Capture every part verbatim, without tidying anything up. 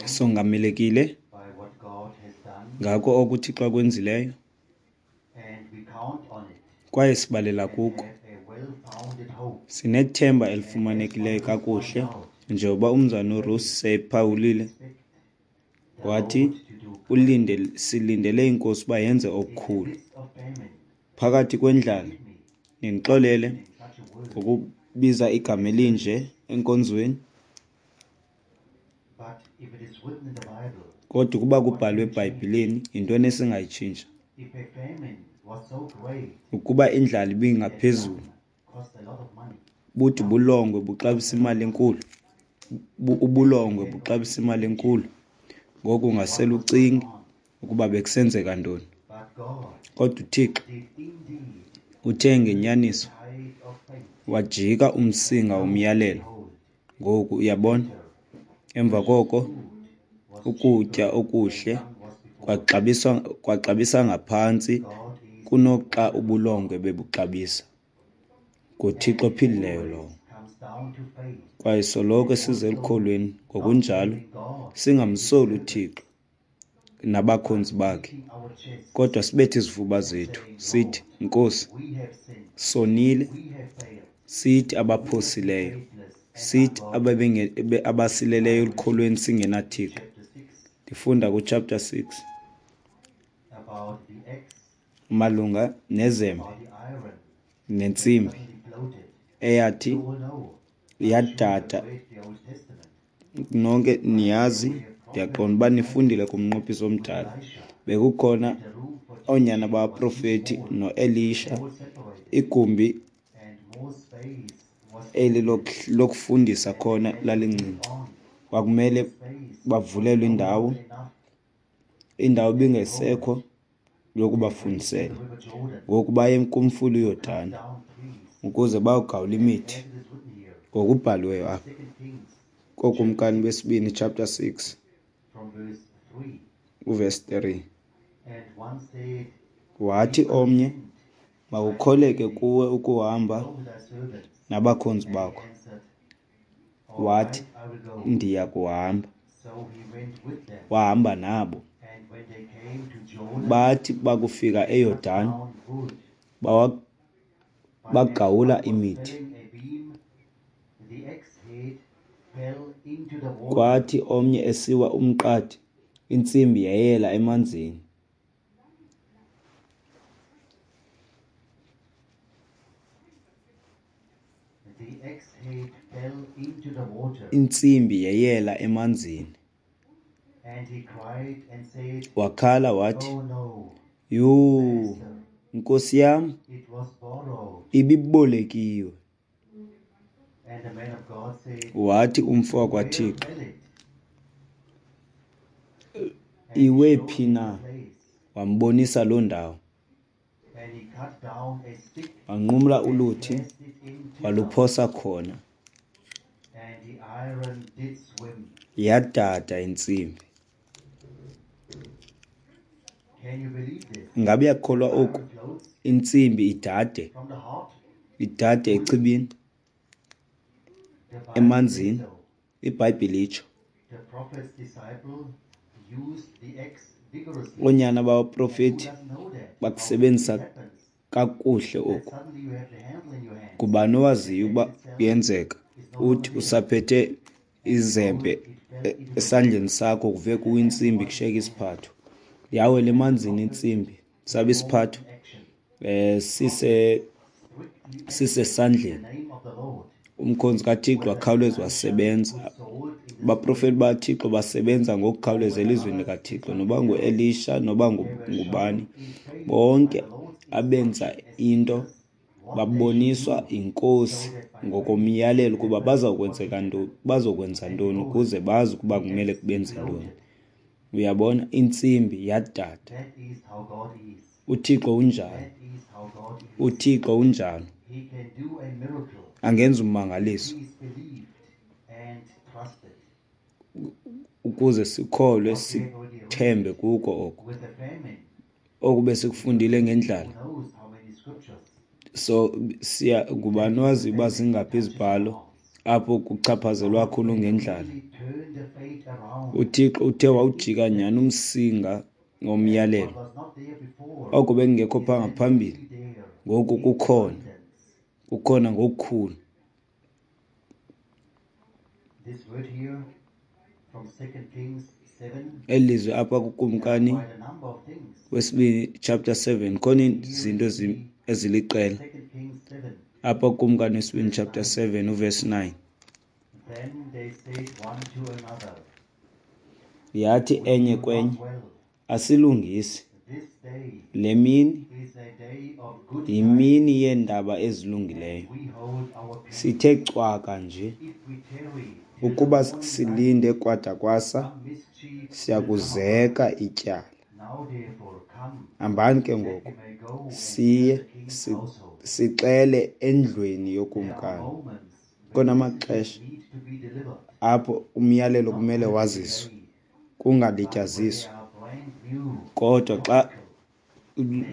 Songamelekile ngako oko uThixo akwenzileyo, kwaye sibalela kuko. Sinethemba elifumanekileyo kakuhle, njengoba uMzalwana uRusi sephawulile, wathi ulinde, silindele iNkosi uba yenze okukhulu. Phakathi kwendlala, nindixolele ngokubiza igama elinje enkonzweni, kodwa ukuba kubhalwe eBhayibhileni, yintoni esingayitshintsha? Ukuba indlala ibingaphezulu, bude ubulongwe buxabisa imali enkulu, ubulongwe buxabisa imali enkulu. Ngoku ungasele ucinge ukuba bekusenzeka ntoni. Kodwa uThixo uthe ngenyaniso wajika umsinga womyalelo. Ngoku uyabona, emva koko ukutya okuhle kwaxabiswa kwaxabisa ngaphantsi kunoxa ubulongwe bebuxabisa. NguThixo ophilileyo lowo. Kwaye soloko size elukholweni ngokunjalo singamsoli uThixo nabakhonzi bakhe, kodwa sibethe izifuba zethu sithi, Nkosi, sonile, sithi abaphosileyo, sithi abasileleyo elukholweni singenaThixo. Ndifunda kuchapter six malunga nezembe nentsimbi eyathi yadada. Nonke niyazi, ndiyaqonda uba nifundile kumnqophiso omdala. Bekukhona oonyana babaprofethi noElisha, igumbi eli lokufundisa khona lalincinci. Kwakumele bavulelwe indawo, indawo ibingesekho yokubafundisela. Ngoku baye kumfula uYordane ukuze bayogawula imithi, ngokubhaliweyo apha kooKumkani besibini chapter six uverse three. Wathi omnye, makukholeke kuwe ukuhamba nabakhonzi bakho. Wathi, ndiya kuhamba. Wahamba nabo. Bathi bakufika eYordane, bagawula imithi. Kwathi omnye esiwa umqadi, intsimbi yeyela emanzini. Intsimbi yeyela emanzini. Wakhala wathi, yhu, Nkosi yam, ibibolekiwe. Wathi umfo wakwaThixo, iwe phi na? Wambonisa loo ndawo. Wanqumla uluthi, waluphosa khona. Yadada intsimbi. Ngabe uyakholwa oku? Intsimbi idade, idade echibini, emanzini. IBhayibhile itsho. Oonyana babaprofethi bakusebenzisa kakuhle oku. Ngubani owaziyo uba kuyenzeka uthi usaphethe izembe esandleni sakho kuve kuwa intsimbi kushiyeke isiphatho. Yawela emanzini intsimbi, sabe isiphatho eh sise sisesandleni. Umkhonzi kaThixo wakhawuleza wasebenza. Abaprofeti baThixo basebenza ngokukhawuleza elizwini likaThixo, noba nguElisha noba ngubani, bonke abenza into baboniswa yiNkosi ngokomyalelo ukuba bazokwenzeka ntoni, bazokwenza ntoni ukuze bazi ukuba kumele benze ntoni. Uyabona, intsimbi yadada. UThixo unjalo, uThixo unjalo, angenza ummangaliso ukuze sikholwe sithembe kuko oko. Oku besikufundile ngendlala. So siya ngubani owaziyo uba zingaphi izibhalo apho kuchaphazelwa kakhulu ngendlala. UThixo uthe wawujika nyhani umsinga womyalelo. Oko bekungekho phaa ngaphambili, ngoku kukhona, kukhona ngokukhulu. Eli lizwi apha kuKumkani wesibini chapter seven, khona izinto eziliqela apha kuKumkani wesibini chapter seven uverse nine. Yathi enye kwenye, asilungisi, le mini yimini yeendaba ezilungileyo. Sithe cwaka nje, ukuba silinde kwada kwasa, siyakuzeka ityala. Hambani ke ngoku, siye sixele endlwini yokumkani. Kukhona amaxesha apho umyalelo kumele waziswe, kungalityaziswa. Kodwa xa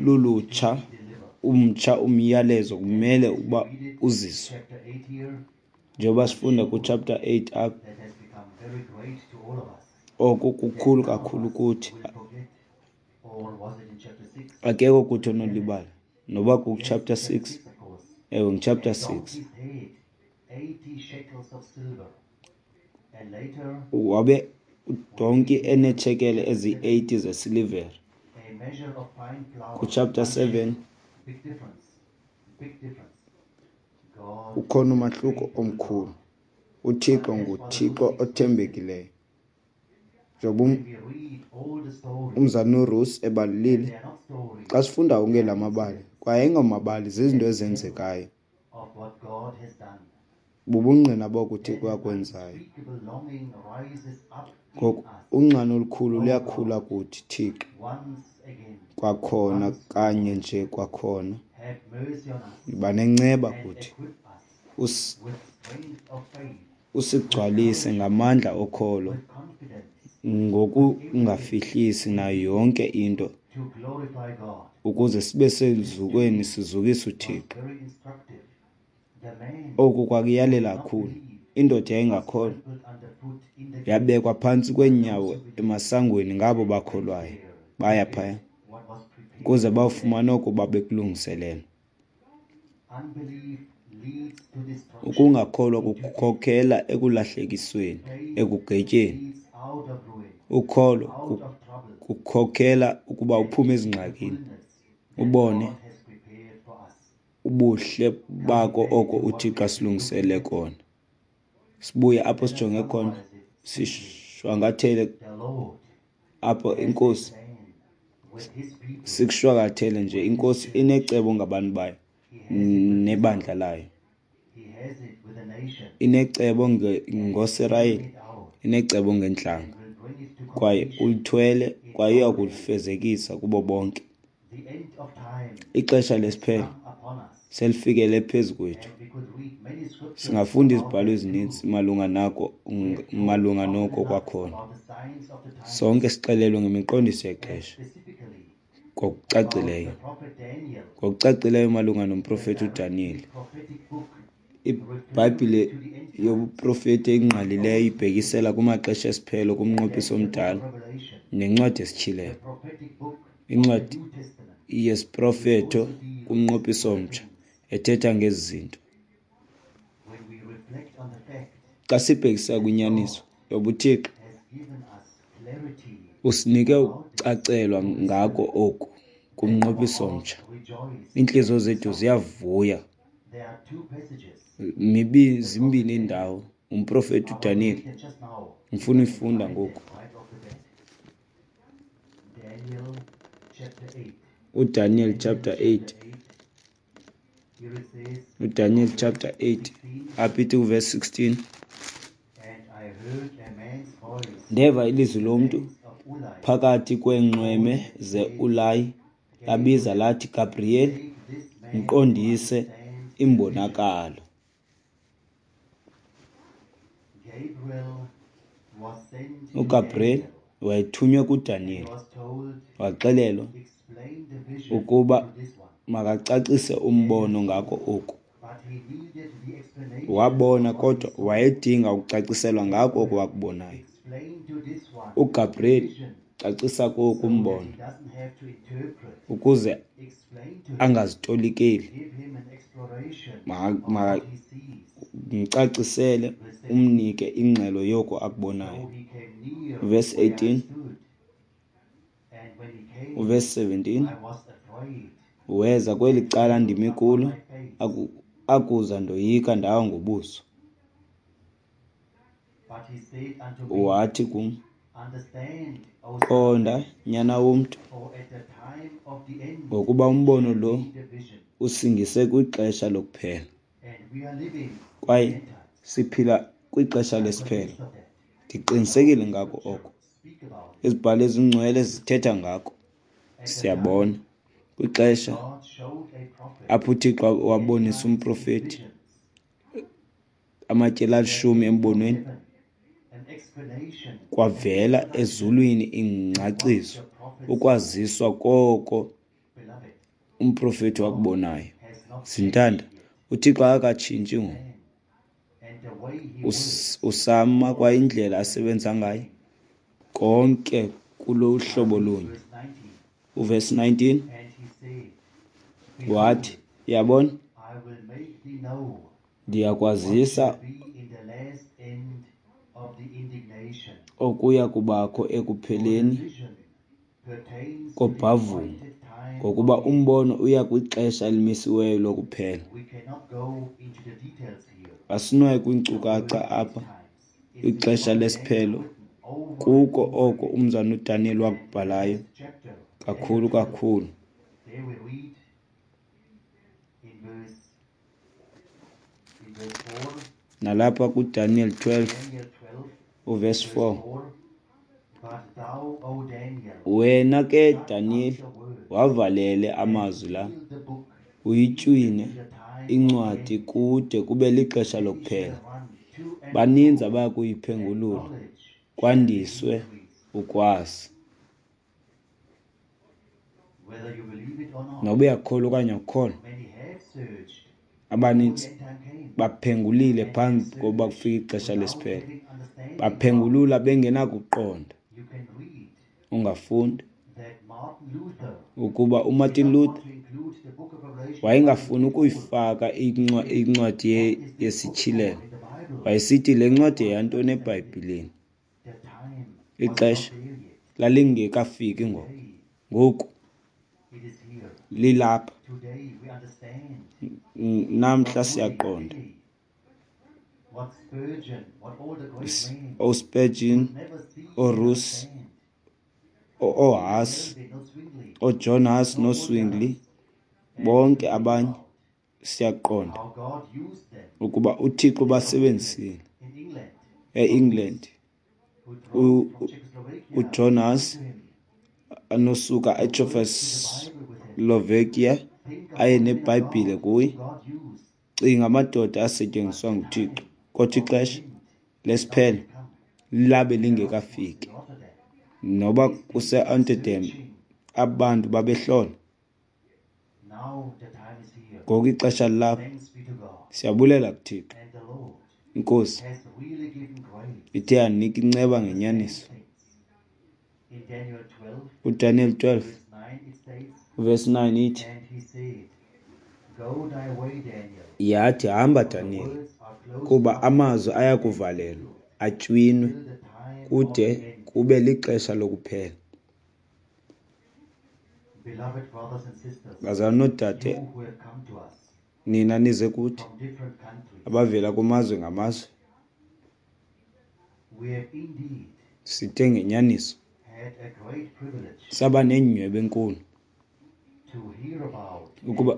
lulutsha, umtsha umyalezo kumele uba uziswe. Njengoba sifunda ku-chapter eight apha, oko kukhulu kakhulu kuthi. Akekho kuthi onolibala, noba ku-chapter six, ewe ngu-chapter six. Wabe udonki eneetshekele eziyi-eighty zesilivere. Ku-chapter seven ukhona umahluko omkhulu. UThixo nguThixo othembekileyo. Njengoba umzalwana uRuth ebalulile, xa sifunda onke la mabali, kwaye ayingomabali, zizinto ezenzekayo. Bubungqina boko uThixo akwenzayo. Ngoku unxano olukhulu luyakhula kuthi, Thixo, kwakhona kanye nje kwakhona. Yiba nenceba kuthi, usigcwalise ngamandla okholo, ngokungafihlisi nayo yonke into, ukuze sibe seluzukweni sizukise uThixo. Oku kwakuyalela kakhulu. Indoda yayingakholwa, yabekwa phantsi kweenyawo emasangweni ngabo bakholwayo. Baya phaya ukuze bawufumane oko babekulungiselelwe. Ukungakholwa kukhokhela ekulahlekisweni, ekugwetyeni. Ukholo kukhokhela ukuba uphume ezingxakini, ubone ubuhle bako oko uThixo asilungisele kona. Sibuye apho sijonge khona, sishwankathele apho iNkosi, sikushwankathele nje. INkosi inecebo ngabantu bayo nebandla layo. Inecebo ngoSirayeli, inecebo ngentlanga, kwaye ulithwele kwaye uyakulifezekisa kubo bonke. Ixesha lesiphelo selifikele phezu kwethu. Singafunda izibhalo ezininzi malunga nako, malunga noko kwakhona. Sonke sixelelwe ngemiqondiso yexesha ngokucacileyo, ngokucacileyo malunga nomprofeti uDaniyeli. IBhayibhile yobuprofeti engqalileyo ibhekisela kumaxesha esiphelo kumnqophiso omdala nencwadi yesiTyhilelo. Incwadi yesiprofeto kumnqophiso omtsha ethetha ngezi zinto. Xa sibhekisa kwinyaniso yobuThixo, usinike ukucacelwa ngako oku kumnqophiso omtsha. Iintliziyo zethu ziyavuya. Mibi zimbini iindawo. Umprofeti uDaniyeli, ngifuna uyifunda ngoku. UDaniel chapter eight. UDaniel chapter eight apha ithi kuverse sixteen. Ndeva ilizwi lomntu phakathi kweenxweme zeUlayi, labiza lathi, Gabriyeli, mqondise imbonakalo. UGabriel wayethunywe kuDaniyeli, waxelelwa ukuba makacacise umbono ngako oku. Wabona, kodwa wayedinga ukucaciselwa ngako oko wakubonayo. UGabriyeli cacisa koku umbono ukuze angazitolikeli. Mcacisele, umnike ingxelo yoko akubonayo. Verse eighteen, verse seventeen, weza kweli cala ndimi kulo, akuza ndoyika ndawa ngobuso. Wathi kum, qonda, nyana womntu, ngokuba umbono lo usingise kwixesha lokuphela, kwaye siphila kwixesha lesiphelo. Ndiqinisekile ngako oko. Izibhalo ezingcwele zithetha ngako. Siyabona kwixesha apho uThixo wabonisa umprofeti amatyeli alishumi embonweni, kwavela ezulwini ingcaciso, ukwaziswa koko umprofeti wakubonayo. Zintanda, uThixo akakatshintshi ngoku. Usama kwa indlela asebenza ngayo konke kulohlobo lunye. Uverse nineteen wathi, yabona, ndiyakwazisa okuya kubakho ekupheleni kobhavumo, ngokuba umbono uya kwixesha elimisiweyo lokuphela. Asinayo kwiinkcukacha apha kwixesha lesiphelo, kuko oko umzalwana uDaniel wakubhalayo kakhulu kakhulu. Nalapha kuDaniel twelve uverse four, wena ke Daniel wavalele amazwi la, uyitywine incwadi kude kube lixesha lokuphela. Baninzi abaya kuyiphengulula, kwandiswe ukwazi. Noba uyakholwa okanye awukholwa, abanintsi baphengulile phambi kokuba kufike ixesha lesiphelo. Baphengulula bengenakuqonda. Ungafunda ukuba uMartin Luther wayengafuni ukuyifaka incwadi yesityhilelo. Wayesithi le ncwadi yeyantoni eBhayibhileni? Ixesha lalingekafiki ngoku. Ngoku lilapha. Namhla siyaqonda. OSpurgeon, oRuss, oHuss, oJohn Huss noZwingli, bonke abanye siyaqonda ukuba uThixo basebenzisile. E-England uJohn Huss anosuka eCzechoslovakia aye neBhayibhile kuye. Cinga amadoda asetyenziswa nguThixo, kodwa ixesha lesiphelo labe lingekafiki. Noba kuse-Amsterdam abantu babehlola. Ngoku ixesha lilapha. Siyabulela kuThixo. Inkosi ithe yanika inceba ngenyaniso. UDaniel twelve verse nine ithi, yathi, hamba Daniel, kuba amazwi ayakuvalelwa atywinwe kude kube lixesha lokuphela. Bazalwana noodade, nina nize kuthi abavela kumazwe ngamazwe, sithe ngenyaniso saba nenyhweba enkulu ukuba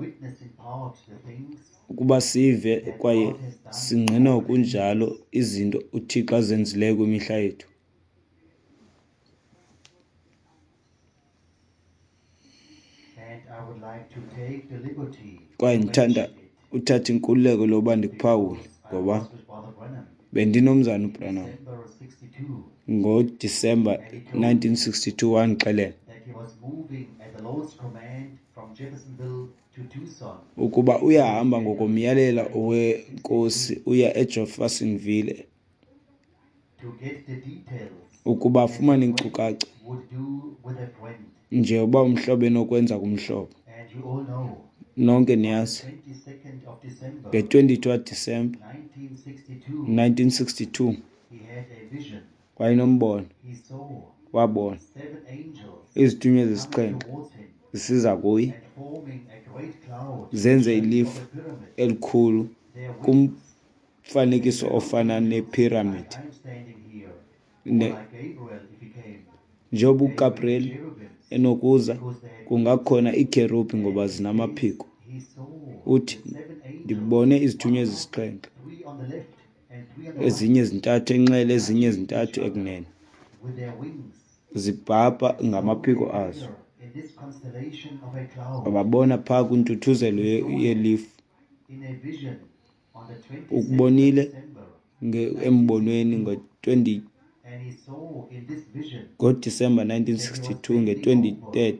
ukuba sive kwaye singqine ngokunjalo izinto uThixo azenzileyo kwimihla yethu. Kwaye ndithanda uthatha inkululeko loba ndikuphawule, ngoba bendinomzana uBranham ngoDisemba nineteen sixty-two wandixelela Ukuba uyahamba ngokomyalelo weNkosi uya eJeffersonville ukuba afumane iinkcukacha nje uba umhlobo enokwenza kumhlobo. Nonke niyazi nge-twenty-two kaDisemba nineteen sixty-two wayenombono, wabona izithunywa ezisixhenxe zisiza kuye zenze ilifu elikhulu kumfanekiso ofana nepyramid. Njengoba uGabriel enokuza, kungakhona iikherubhi ngoba zinamaphiko. Uthi, ndibone izithunywa ezisixhenxe, ezinye zintathu enxele, ezinye zintathu ekunene, zibhabha ngamaphiko azo. Wababona phaa kwintuthuzelo yelifu. Ukubonile embonweni ngo-twenty, ngoDisemba nineteen sixty-two, nge-twenty-third,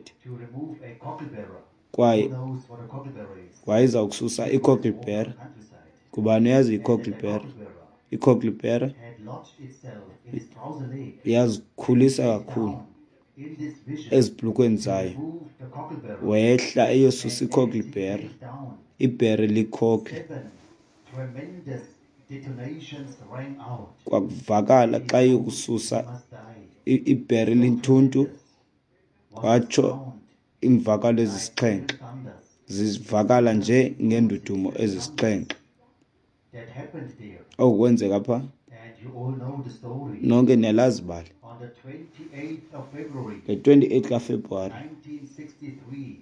kwaye wayeza kususa i-cocklebur. Ngubani oyaziyo i-cocklebur? I-cocklebur iyazikhulisa kakhulu ezibhlukweni zayo. Wehla eyosusa i-cocklebur, ibhere likhokle. Kwakuvakala xa eyokususa ibhere linthuntu, watsho iimvakalo ezisixhenxe zivakala nje ngeendudumo ezisixhenxe. Oku kwenzeka pha. Nonke niyalazi ibali. Nge-twenty-eight kaFebruwari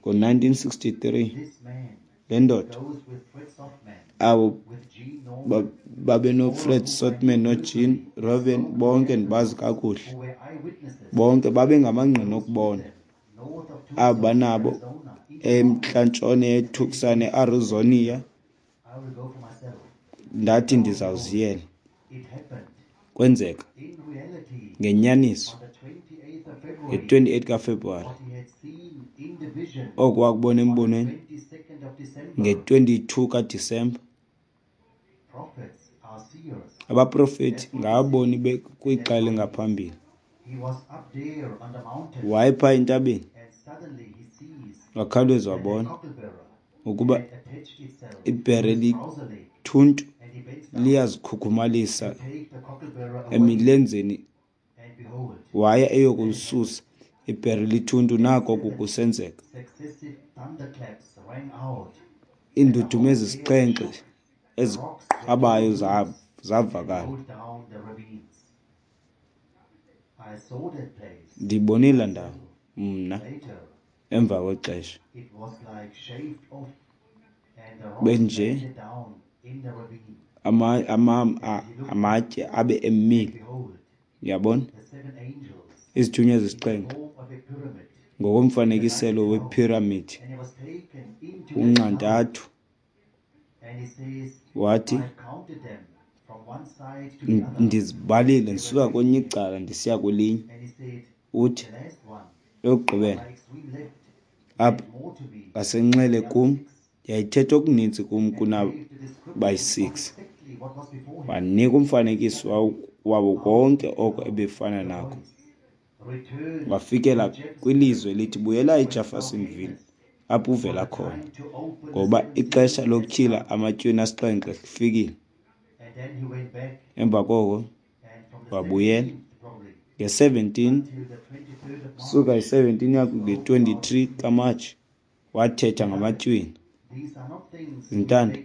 ngo-nineteen sixty-three, le ndoda abo babenoFred Sothmann noJean Robin, bonke ndibazi kakuhle, bonke babengamangqina okubona abo banabo emntlantshona yeTucson, eArizona. Ndathi ndizawuziyela. Kwenzeka ngenyaniso nge-twenty-eight kaFebruwari, oko wakubona embonweni nge-twenty-two kaDisemba. Abaprofeti ngaboni kwixa elingaphambili. Wayephaa entabeni, wakhawuleza wabona ukuba ibhere lithuntu liyazikhukhumalisa emilenzeni. Waya eyokulisusa ibhere lithuntu, nako kusenzeka. Iindudumo ezisixhenxe eziqhwabayo zavakala. Ndiyibonile laa ndawo mna emva kwexesha. Benje ama, ama, amatye abe emile. Uyabona? Izithunywa ezisixhenxe ngokomfanekiselo wepyramid unxantathu. Wathi, ndizibalile ndisuka kwelinye icala ndisiya kwelinye. Uthi, eyokugqibela apha ngasenxele kum yayithetha okuninzi kum kunabayi-six. Wanika umfanekiso wabo konke oko ebefana nako. Wafikela kwilizwe elithi buyela eJeffersonville apho uvela khona, ngoba ixesha lokutyhila amatywina asixhenxe lifikile. Emva koko wabuyela nge-seventeen, suka i-seventeen yakho nge-twenty-three kaMatshi, wathetha ngamatywina. Zintanda,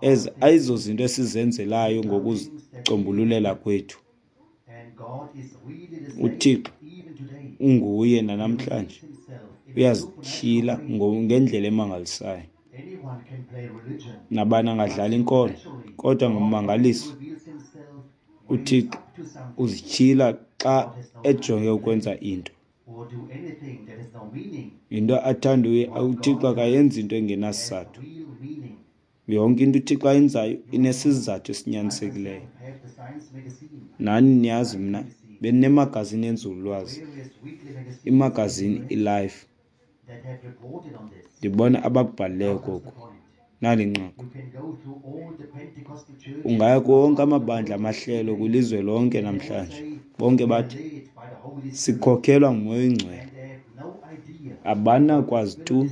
ezi ayizozinto esizenzelayo ngokuzicombululela kwethu. UThixo unguye nanamhlanje, uyazityhila ngendlela emangalisayo. Nabani angadlala inkolo, kodwa ngommangaliso uThixo uzityhila xa ejonge ukwenza into. Yinto athanda uThixo, akayenzi into engenasizathu. Yonke into uThixo ayenzayo inesizathu esinyanisekileyo. Nani niyazi mna Beninemagazini yenzululwazi, imagazini iLife. Ndibona abakubhalileyo koku. Nali inqaku. Ungaya kuwo wonke amabandla amahlelo kwilizwe lonke namhlanje, bonke bathi, "Sikhokhelwa nguMoya oyiNgcwele." Abanakwazi tu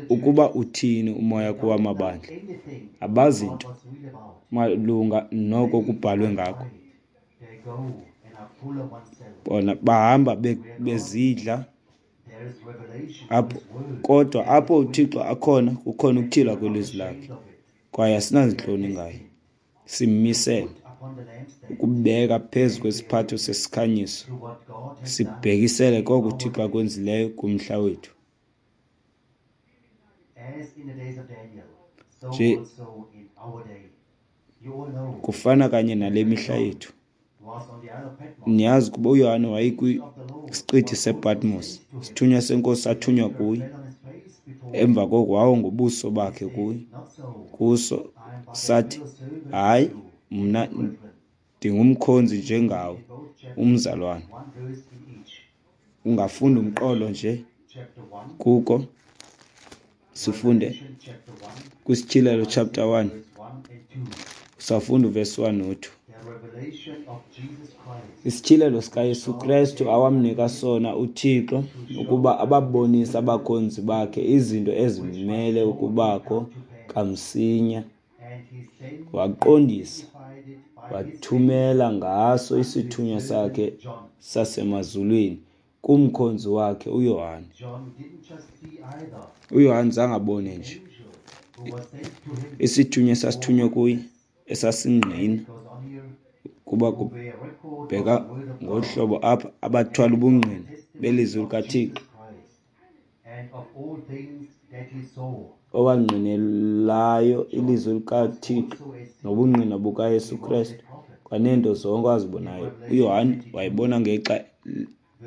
ukuba uthini uMoya kuwa mabandla. Abazi nto malunga noko kubhalwe ngako. Bona bahamba bezidla apho, kodwa apho uThixo akhona kukhona ukutyhilwa kwelizwi lakhe, kwaye asinazintloni ngaye. Simmisele ukubeka phezu kwesiphatho sesikhanyiso, sibhekisele koko uThixo akwenzileyo kumhla wethu. Nje kufana kanye nale mihla yethu. Niyazi ukuba uYohane wayekwisiqithi sePatmos, isithunywa seNkosi sathunywa kuye. Emva koko wawa ngobuso bakhe kuye, kuso sathi, "Hayi, mna ndingumkhonzi njengawe, umzalwane." Ungafunda umqolo nje kuko, sifunde kwiSityhilelo chapter one, sawufunda uvesi one no two. Isityhilelo sikaYesu Krestu awamnika sona uThixo ukuba ababonise abakhonzi bakhe izinto ezimele ukubakho kamsinya. Waqondisa, wathumela ngaso isithunywa sakhe sasemazulwini kumkhonzi wakhe uYohane. UYohane zange abone nje isithunywa esasithunywe kuye esasingqina kuba kubheka ngolu hlobo apha abathwala ubungqina belizwi likaThixo, owangqinelayo ilizwi likaThixo nobungqina bukaYesu Krestu kwaneento zonke awazibonayo. UYohane wayebona ngexa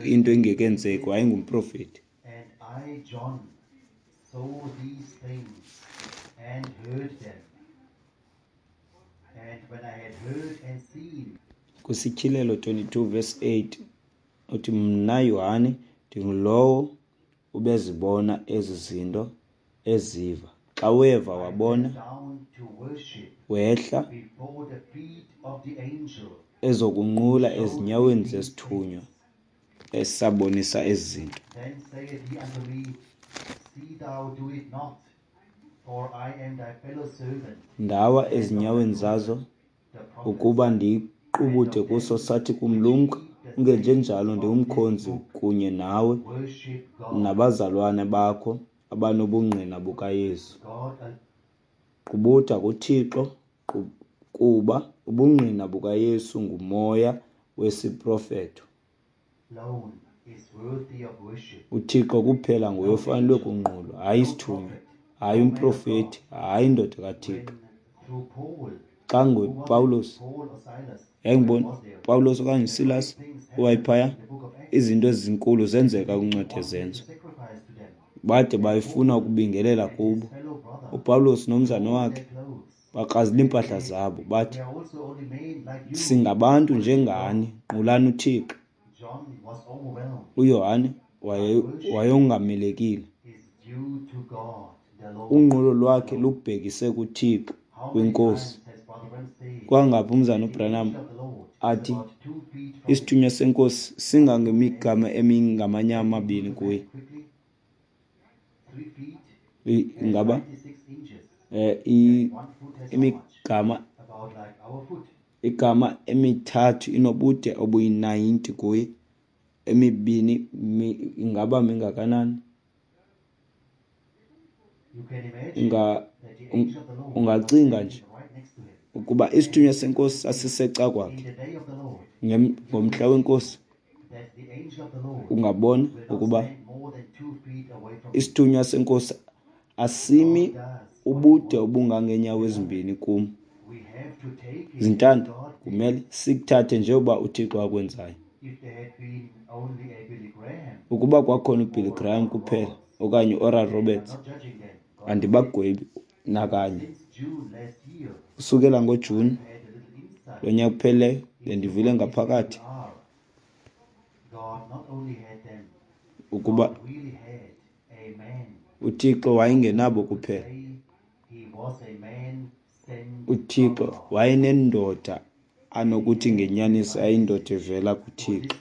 into ingekenzeki, wayengumprofeti. KwiSityhilelo twenty-two verse eight uthi, "Mna Yohane ndingulowo ubezibona ezi zinto eziva." Xa weva wabona, wehla ezokunqula ezinyaweni zesithunywa esabonisa ezi zinto. Ndawa ezinyaweni zazo ukuba ndiqubude kuso, sathi kum, "Lumka, ungenjenjalo, ndingumkhonzi kunye nawe nabazalwana bakho abanobungqina bukaYesu. Qubuda kuThixo, kuba ubungqina bukaYesu ngumoya wesiprofeto." UThixo kuphela nguye ofanelwe kunqulwa, hayi isithunywa, hayi umprofeti, hayi indoda kaThixo. Xa nguPawulos, yayingubona Pawulos okanye uSilas owayephaya, izinto ezinkulu zenzeka kwincwadi yeZenzo. Bade bayifuna ukubingelela kubo. UPawulos nomzana wakhe bakrazula iimpahla zabo, bathi, "Singabantu njengani, nqulani uThixo." UYohane wayongamelekile. Unqulo lwakhe lubhekise kuThixo, kwiNkosi. Kwangaphi umzana uBranham athi isithunywa seNkosi singangemigama emingamanye amabini kuye. Ingaba eh imigama igama emithathu inobude obuyi-ninety kuye, emibini ingaba mingakanani? Unga ungacinga nje ukuba isithunywa seNkosi sasiseca kwakhe ngomhla weNkosi. Ungabona ukuba isithunywa seNkosi asimi ubude obungangeenyawo ezimbini kum. Zintanda, kumele sikuthathe njengoba uThixo akwenzayo. Ukuba kwakhona uBilly Graham kuphela okanye uOral Roberts, andibagwebi nakanye. Usukela ngoJuni lonyaka uphelileyo bendivile ngaphakathi Ukuba uThixo wayengenabo kuphela, uThixo wayenendoda anokuthi ngenyaniso yayindoda evela kuThixo,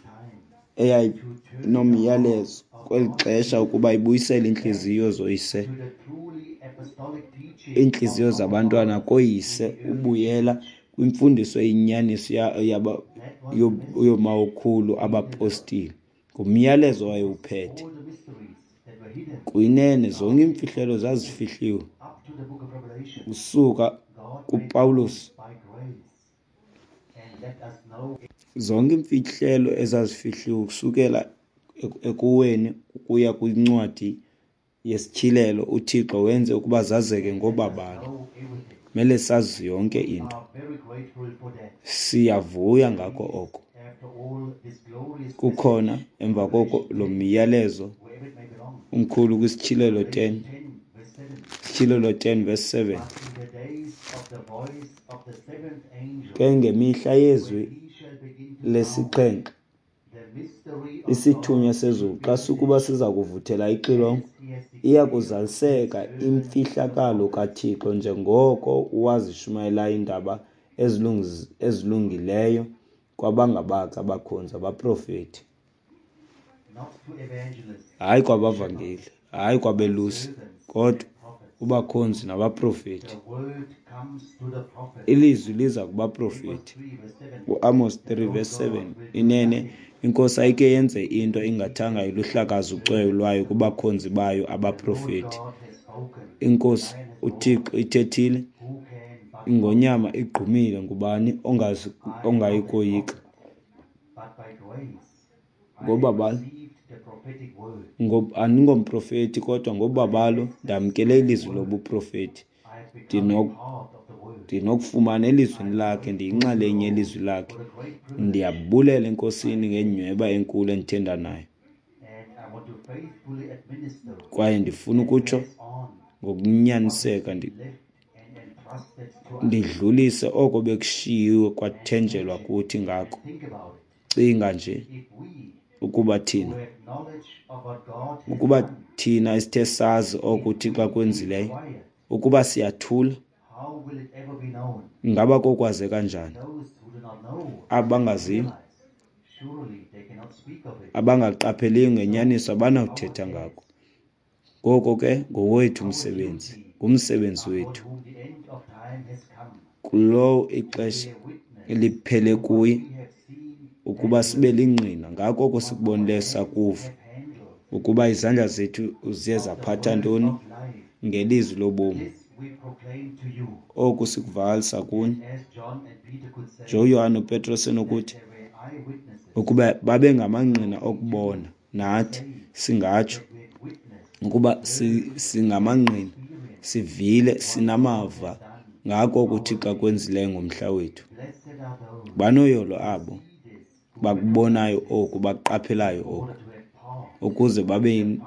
eyayinomyalezo kweli xesha ukuba ibuyisele iintliziyo zoyise, iintliziyo zabantwana kooyise, ubuyela kwimfundiso eyinyaniso yoomawokhulu abapostile. Ngumyalezo wayewuphethe. Kuyinene zonke iimfihlelo zazifihliwe usuka kuPawulos. Zonke iimfihlelo ezazifihliwe ukusukela ekuweni ukuya kwincwadi yeSityhilelo, uThixo wenze ukuba zazeke ngobabalo. Mele sazi yonke into. Siyavuya ngako oko. Kukhona emva koko lo myalezo umkhulu kwiSityhilelo ten, Sityhilelo ten verse seven. Ke ngemihla yezwi lesixhenxe, isithunywa sezulu xa sukuba siza kuvuthela ixilongo, iya kuzaliseka imfihlakalo kaThixo njengoko wazishumayelayo iindaba ezilungileyo kwabangabakhe abakhonzi abaprofeti. Hayi kwabavangeli, hayi kwabelusi, kodwa kubakhonzi nabaprofeti. Ilizwi liza kubaprofeti. UAmos three verse seven, inene iNkosi ayike yenze into ingathanga iluhlakaze ucweyo lwayo kubakhonzi bayo abaprofeti. INkosi uThixo ithethile, ingonyama igqumile, ngubani ongayi koyika? Ngobabalo, andingomprofeti, kodwa ngobabalo ndamkele ilizwi lobuprofeti. Ndinokufumana elizwini lakhe, ndiyinxalenye yelizwi lakhe. Ndiyabulela eNkosini ngenyhweba enkulu endithe ndanayo. Kwaye ndifuna ukutsho ngokunyaniseka, ndidlulise oko bekushiyiwe kwathenjelwa kuthi ngako. Cinga nje ukuba thina, ukuba thina esithe sazi oko uThixo akwenzileyo, ukuba siyathula, ingaba kokwazeka njani? Abangaziyo, abangaqapheliyo ngenyaniso abanawuthetha ngako. Ngoko ke ngowethu umsebenzi, ngumsebenzi wethu. Kulowo ixesha liphele kuye, ukuba sibe lingqina ngako oko sikubonileyo sakuva, ukuba izandla zethu ziye zaphatha ntoni ngelizwi lobomi. Oku sikuvakalisa kuni. NjengoYohane noPetros enokuthi, ukuba babengamangqina okubona, nathi singatsho ukuba singamangqina, sivile, sinamava ngako oko uThixo akwenzileyo ngomhla wethu. Banoyolo abo bakubonayo oku, baqaphelayo oku, ukuze babe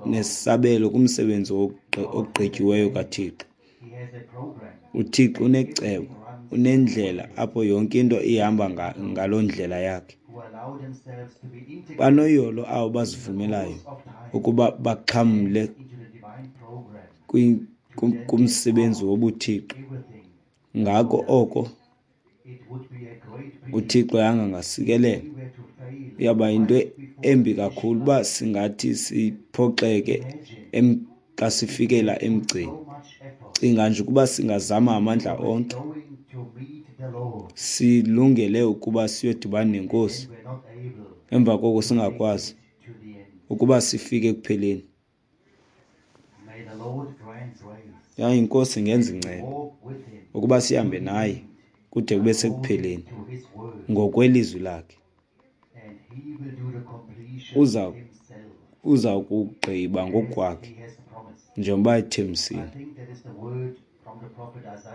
nesabelo kumsebenzi ogqityiweyo kaThixo. UThixo unecebo, unendlela apho yonke into ihamba ngaloo ndlela yakhe. Banoyolo abo bazivumelayo ukuba baxhamle kumsebenzi wobuThixo. Ngako oko uThixo angasikelela. Iyawuba yinto embi kakhulu uba singathi siphoxeke xa sifikela emgceni. Cinga nje ukuba singazama amandla onke, silungele ukuba siyodibana neNkosi, emva koko singakwazi ukuba sifike ekupheleni. Yaye iNkosi ingenza inceba ukuba sihambe naye kude kube sekupheleni ngokwelizwi lakhe. Uza uza kugqiba ngokwakhe njengoba ethembisile.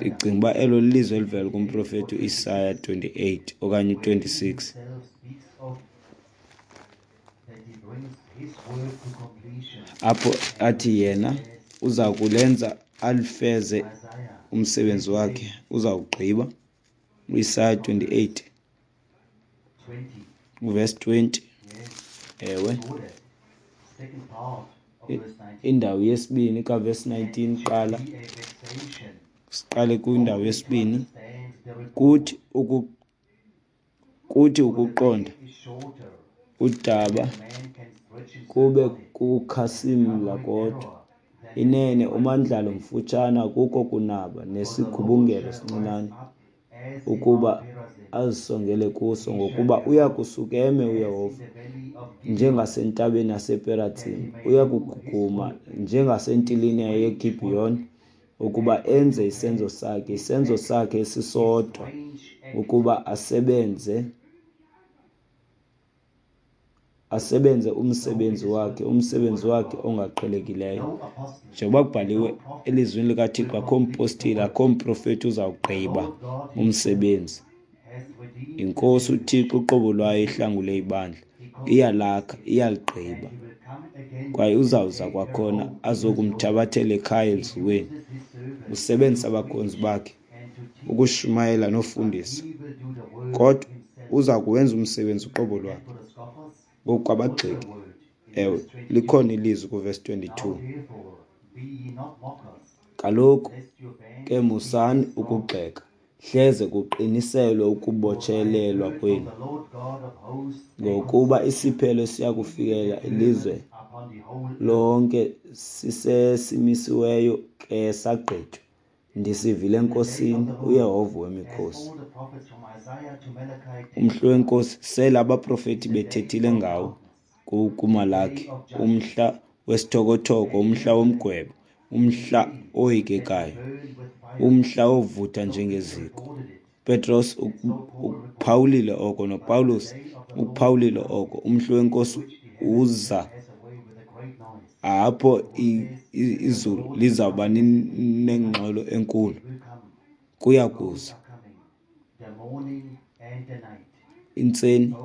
Ndicinga uba elo lilizwi elivela kumprofeti uIsaya twenty-eight okanye twenty-six. Apho athi yena uza kulenza alifeze umsebenzi wakhe, uza kugqiba. UIsaya twenty-eight Verse twenty. Ewe. Indawo yesibini kaverse nineteen qala. Siqale kwindawo yesibini. Kuthi uku kuthi ukuqonda udaba kube kukhasimla kodwa. Inene umandlalo mfutshane akukho kunaba nesigubungelo sincinane ukuba azisongele kuso, ngokuba uya kusuka eme uYehova njengasentabeni yasePeratsim, uya kuguguma njengasentilini yeGibheyon, ukuba enze isenzo sakhe, isenzo sakhe esisodwa, ukuba asebenze asebenze umsebenzi wakhe, umsebenzi wakhe ongaqhelekileyo. Njengoba kubhaliwe elizwini likaThixo, akho mpostile, akho mprofeti uzawugqiba umsebenzi. INkosi uThixo uqobo lwayo ihlangule ibandla, iyalakha, iyaligqiba. Kwaye uzawuza kwakhona azokumthabathela ekhaya elizweni. Usebenzisa abakhonzi bakhe ukushumayela nofundisa, kodwa uza kuwenza umsebenzi uqobo lwakhe. Ngoku kwabagxeki, ewe, likhona ilizwi kuvesi twenty-two. Kaloku ke musani ukugxeka, hleze kuqiniselwe ukubotshelelwa kwenu, ngokuba isiphelo siya kufikela ilizwe lonke sisesimisiweyo ke sagqitywa. Ndisivile eNkosini uYehova wemikhosi. Umhla weNkosi sele abaprofeti bethethile ngawo kuMalaki, umhla wesithokothoko, umhla womgwebo, umhla oyikekayo, umhla ovutha njengeziko. Petros ukuphawulile oko, noPawulos ukuphawulile oko. Umhla weNkosi uza apho izulu lizawuba nengxolo enkulu. Kuya kuza intseni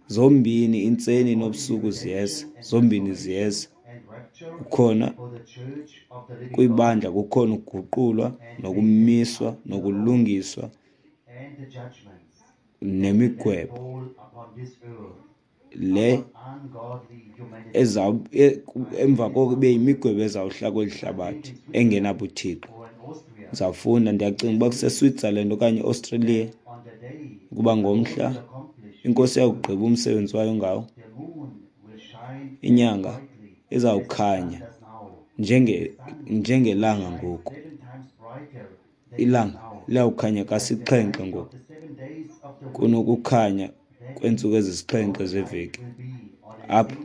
zombini, intseni nobusuku ziyeza, zombini ziyeza. Kukhona kwibandla, kukhona ukuguqulwa nokumiswa nokulungiswa nemigwebo le eza emva koko ibe yimigwebo ezawuhla kweli hlabathi engenabuthixo. Ndizawufunda, ndiyacinga uba kuseSwitzerland okanye eAustralia, ukuba ngomhla iNkosi iyawugqiba umsebenzi wayo ngawo, inyanga izawukhanya njenge njengelanga ngoku. Ilanga liyawukhanya kasixhenxe ngoku kunokukhanya kweentsuku ezisixhenxe zeveki. Apho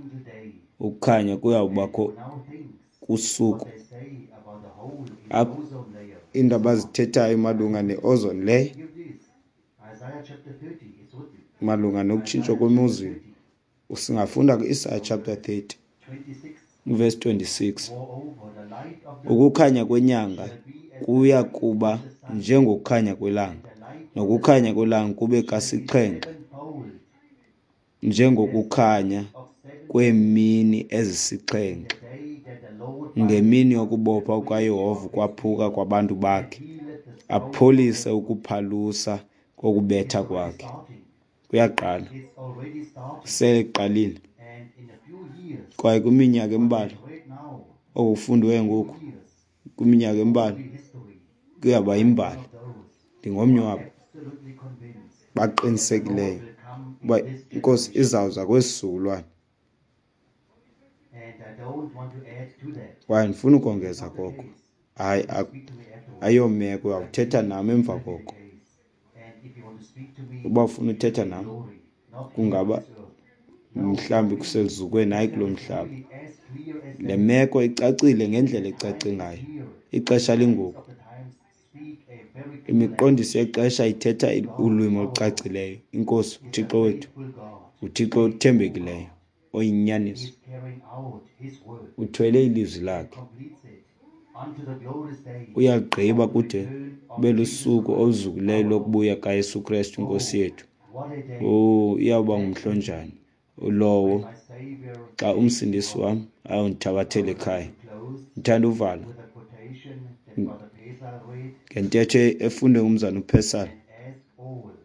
ukukhanya kuyawubakho kusuku. Apho iindaba azithethayo malunga ne-ozone layer, malunga nokutshintshwa kwemozulu, singafunda ku-Isaiah chapter thirty verse twenty-six. Ukukhanya kwenyanga kuya kuba njengokukhanya kwelanga, nokukhanya kwelanga kube kasixhenxe njengokukhanya kweemini ezisixhenxe, ngemini yokubopha kukaYehova kwaphuka kwabantu bakhe, apholise ukuphalusa kokubetha kwakhe. Kuyaqala, seleqalile. Kwaye kwiminyaka embalwa, okufundiweyo ngoku, kwiminyaka embalwa kuyaba yimbali. Ndingomnye wabo baqinisekileyo uba iNkosi izawuza kwesi sizukulwana. Kwaye ndifuna ukongeza koko, hayi, ayomeko, uyawuthetha nam emva koko. Uba ufuna uthetha nam, kungaba mhlawumbi kuseluzukweni, hayi kulo mhlaba. Le meko icacile ngendlela ecace ngayo. Ixesha lingoku. Imiqondiso yexesha ithetha ulwimi olucacileyo. INkosi uThixo wethu, uThixo othembekileyo, oyinyaniso, uthwele ilizwi lakhe, uyaligqiba kude kube lusuku oluzukileyo lokubuya kaYesu Kristu iNkosi yethu. Oh, iyawuba ngumhla onjani lowo xa umsindisi wam ayondithabathela ekhaya. Ndithanda uvala ngentetho efundwe ngumzana uPesal.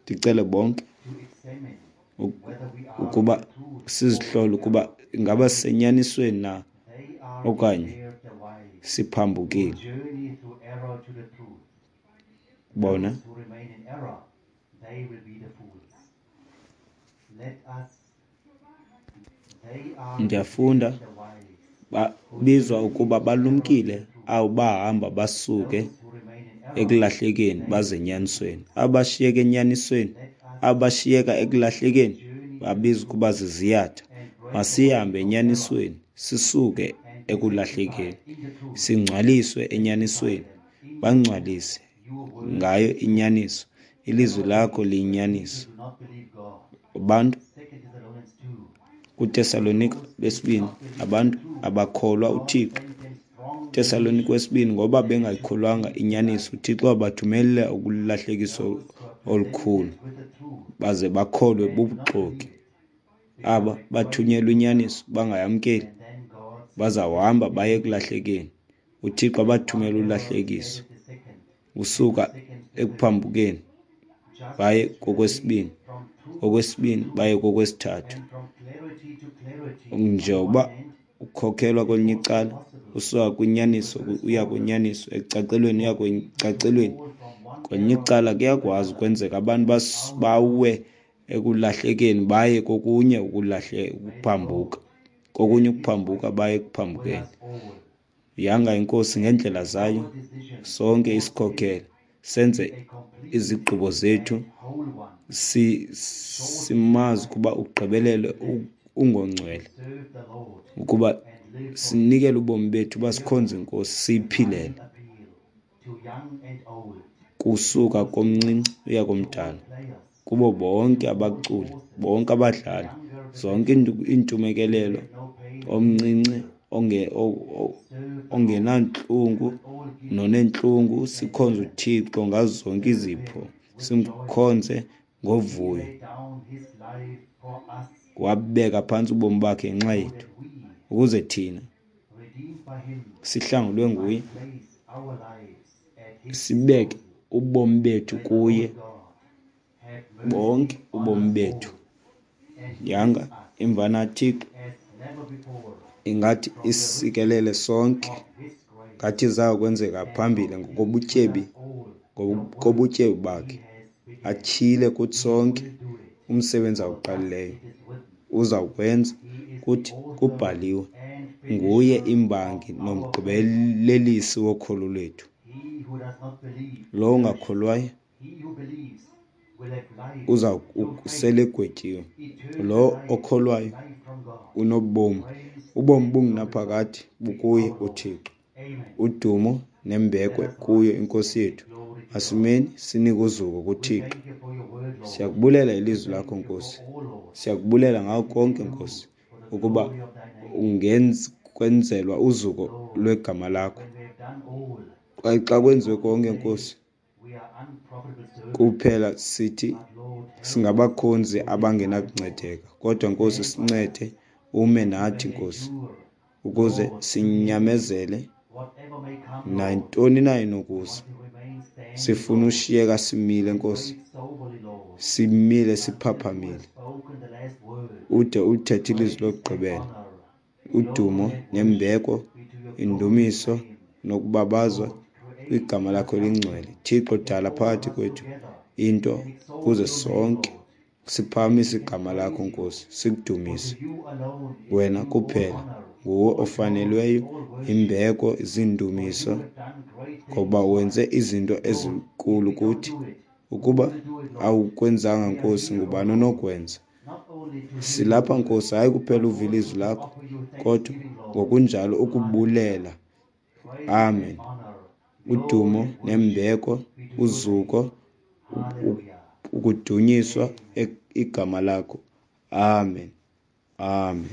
Ndicele bonke Ukuba sizihlole ukuba ingaba sisenyanisweni na okanye siphambukile. Bona ndiyafunda babizwa ukuba balumkile abo bahamba basuke ekulahlekeni baze enyanisweni. Abashiyeka enyanisweni, abashiyeka ekulahlekeni babizwa ukuba ziziyatha. Masihambe enyanisweni sisuke ekulahlekeni, singcwaliswe enyanisweni, bangcwalise ngayo inyaniso. Ilizwi lakho liyinyaniso. Abantu kuTesalonika besibini, abantu abakholwa uThixo. Tesalonika wesibini, ngoba bengayikholwanga inyaniso, uThixo wabathumelela ukulahlekiso olukhulu baze bakholwe bubuxoki. Aba bathunyelwa inyaniso bangayamkeli, bazawuhamba baye ekulahlekeni. UThixo abathumela ulahlekiso usuka ekuphambukeni baye kokwesibini, kokwesibini baye kokwesithathu. Njengoba ukhokhelwa kwelinye icala usuka kwinyaniso uya kwinyaniso, ekucacelweni uya ekucacelweni, kwelinye icala kuyakwazi ukwenzeka abantu bawe ekulahlekeni baye kokunye ukulahle ukuphambuka, kokunye ukuphambuka baye ekuphambukeni. Yanga iNkosi ngeendlela zayo sonke isikhokhele senze izigqibo zethu si simazi ukuba ugqibelele ungongcwele, ukuba sinikele ubomi bethu uba sikhonze iNkosi siyiphilele kusuka komncinci uya komdala, kubo bonke abaculi, bonke abadlali, zonke iintumekelelo, omncinci onge ongenantlungu nonentlungu, sikhonze uThixo ngazo zonke izipho, simkhonze ngovuyo. Wabeka phantsi ubomi bakhe ngenxa yethu ukuze thina sihlangulwe nguye, sibeke ubomi bethu kuye, bonke ubomi bethu. Yanga imvana kaThixo ingathi isikelele sonke, ngathi zakwenzeka phambili ngokobutyebi, ngokobutyebi bakhe, atyhile kuthi sonke umsebenzi awuqalileyo uzawukwenza. Kuthi kubhaliwe, nguye imbangi nomgqibelelisi wokholo lwethu. Lowo ungakholwayo uza sele egwetyiwe, lo okholwayo unobomi, ubomi bungunaphakade bukuye uThixo. Udumo nembeko kuyo iNkosi yethu. Masimeni sinike uzuko kuThixo. Siyakubulela ilizwi lakho Nkosi, siyakubulela ngako konke Nkosi, ukuba kwenzelwa uzuko lwegama lakho. Kwaye xa kwenziwe konke Nkosi, kuphela sithi singabakhonzi abangenakuncedeka, kodwa Nkosi sincede ume nathi Nkosi, ukuze sinyamezele nantoni na enokuza. Sifuna ushiyeka simile Nkosi, simile siphaphamile, ude ulithethe ilizwi lokugqibela. Udumo nembeko, indumiso nokubabazwa kwigama lakho elingcwele. Thixo, dala phakathi kwethu into ukuze sonke siphakamise igama lakho Nkosi, sikudumise wena kuphela. Nguwe ofanelweyo imbeko, zindumiso, ngoba wenze izinto ezinkulu kuthi. Ukuba awukwenzanga Nkosi, ngubani onokwenza? Silapha Nkosi, hayi kuphela uva ilizwi lakho, kodwa ngokunjalo ukubulela. Amen. Udumo nembeko, uzuko, ukudunyiswa igama lakho. Amen. Amen.